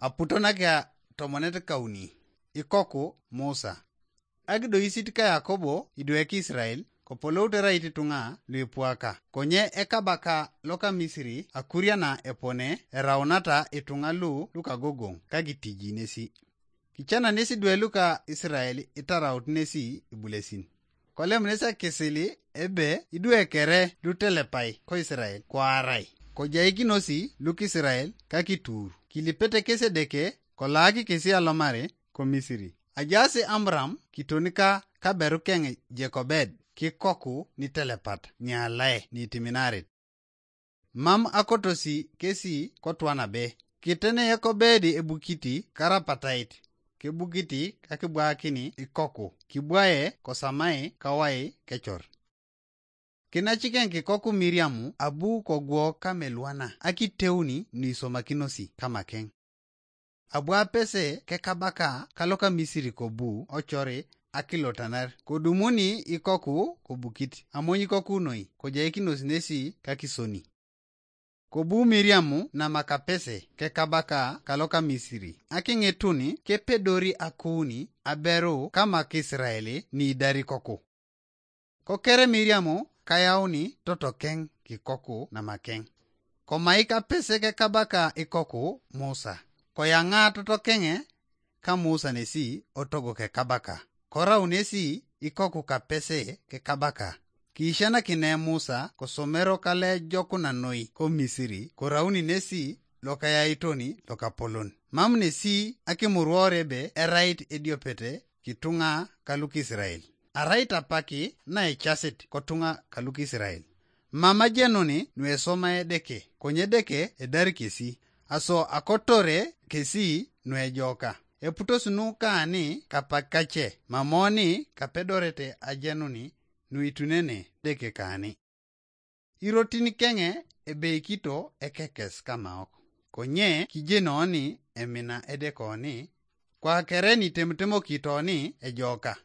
aputona ka tomonet kauni ikoku Musa agido isit ka Yakobo idweki Israel ko polo utera iti tunga luipuaka konye ekabaka loka Misiri akuriana epone eraunata itunga luka gogong kagitiji nesi kichana nesi dwe luka Israel itaraut nesi ibulesin kolem nesa kisili ebe idwe kere lutelepai ko Israel kwa arai ko jaikinosi luk Israel kakitur kilipete kese deke ko laki kesi alomare ko Misiri ajasi Amram kitonika kaberu kenge Jekobed kikoku ni telepat ni alae ni timinarit mam akotosi kesi kotwana be kitene Yakobedi ebukiti karapatait ke bukiti kakibwakini ikoku kibwaye kosamai kawai kechor kinachiken kikoku Miriamu abu kogwo kamelwana akiteuni ni somakinosi kamaken abwa pese ke kabaka kaloka Misiri kobu ochori akilotanar kodumuni ikoku kobukit amonyi koku noi kojaikinosi nesi kakisoni kobu Miriamu na makapese ke kabaka kaloka Misiri akingetuni ke pedori akuni aberu kama Kisraeli ni dari koku kokere Miriamu kayauni totokeng kikoku na makeng komaika pese ke kabaka ikoku Musa koyanga totokenge ka Musa nesi otogo ke kabaka kora unesi ikoku kapese ke kabaka kishana kine Musa kosomero kale jokuna noi ko Misiri korauni nesi loka yaitoni loka polon mam nesi akimurworebe erait ediopete kitunga kaluk Israel arait apaki na echasit kotunga kaluk Israel mama jenoni nwe deke konye deke edari kesi aso akotore kesi nwe joka eputosunu kaani kapakache mamoni kapedorete ajenoni nuitunene deke kaani irotini kenge ebeikito ekekes kamaok konye kijenoni emina edekoni kwa kereni temtemo kitoni ejoka